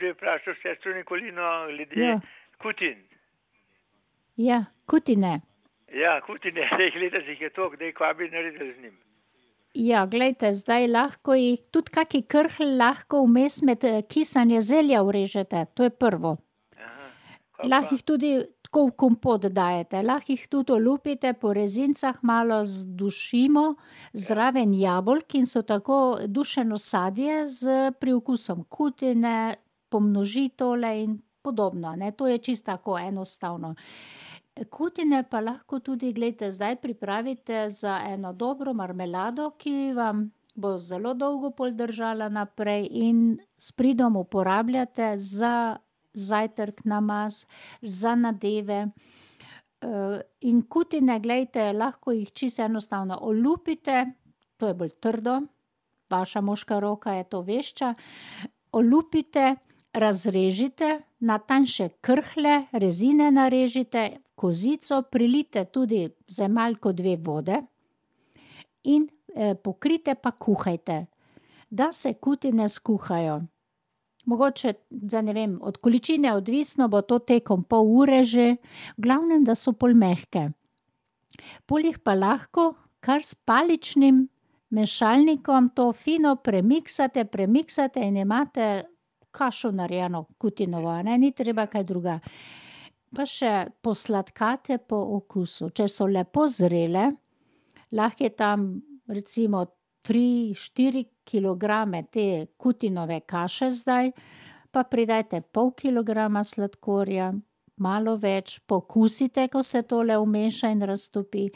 bi vprašal sestro Nikolino glede Ja. kutin. Ja, kutine. Ja, kutine, zdaj letos jih je toliko, daj kva bi naredili z njim. Ja, glejte, zdaj lahko jih, tudi kaki krhlj lahko vmes med kisanje zelja urežete, to je prvo. Aha, kva Lahko pa? jih tudi tako v kompot dajete, lahko jih tudi olupite, po rezincah malo zdušimo, zraven jabolk in so tako dušeno sadje z priokusom kutine, pomnoži tole in podobno, ne, to je čisto tako enostavno. Kutine pa lahko tudi, glejte, zdaj pripravite za eno dobro marmelado, ki vam bo zelo dolgo pol držala naprej in s pridom uporabljate za zajtrk, namaz, za nadeve. In kutine, glejte, lahko jih čisto enostavno olupite, to je bolj trdo, vaša moška roka je to vešča, olupite, razrežite na tanjše krhlje, rezine narežite, kozico, prilijte tudi z malko 2 vode in pokrijte pa kuhajte, da se kutine skuhajo. Mogoče, zdaj ne vem, od količine odvisno, bo to tekom pol ure že, v glavnem, da so pol mehke. Pol jih pa lahko kar s paličnim mešalnikom to fino premiksate in imate kašo narejeno kutinovo, a ne, ni treba kaj drugega. Pa še posladkate po okusu, če so lepo zrele, lahko je tam recimo 3-4 kilograme te kutinove kaše zdaj, pa pridajte pol kilograma sladkorja, malo več, pokusite, ko se tole vmeša in raztopi,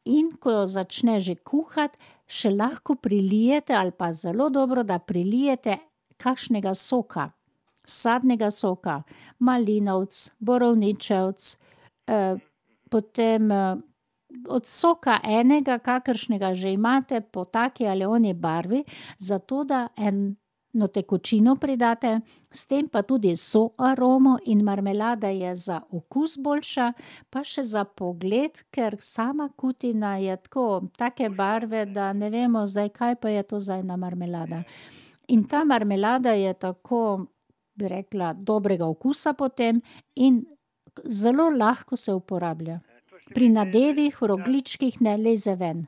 in ko začne že kuhati, še lahko prilijete, ali pa zelo dobro, da prilijete kakšnega soka, sadnega soka, malinovec, borovničevec, potem od soka enega, kakršnega že imate, po taki ali oni barvi, zato da eno tekočino pridate, s tem pa tudi soaromo in marmelada je za okus boljša, pa še za pogled, ker sama kutina je tako, take barve, da ne vemo zdaj, kaj pa je to za ena marmelada. In ta marmelada je tako, bi rekla, dobrega okusa potem in zelo lahko se uporablja. Pri nadevih, v rogljičkih ne leze ven.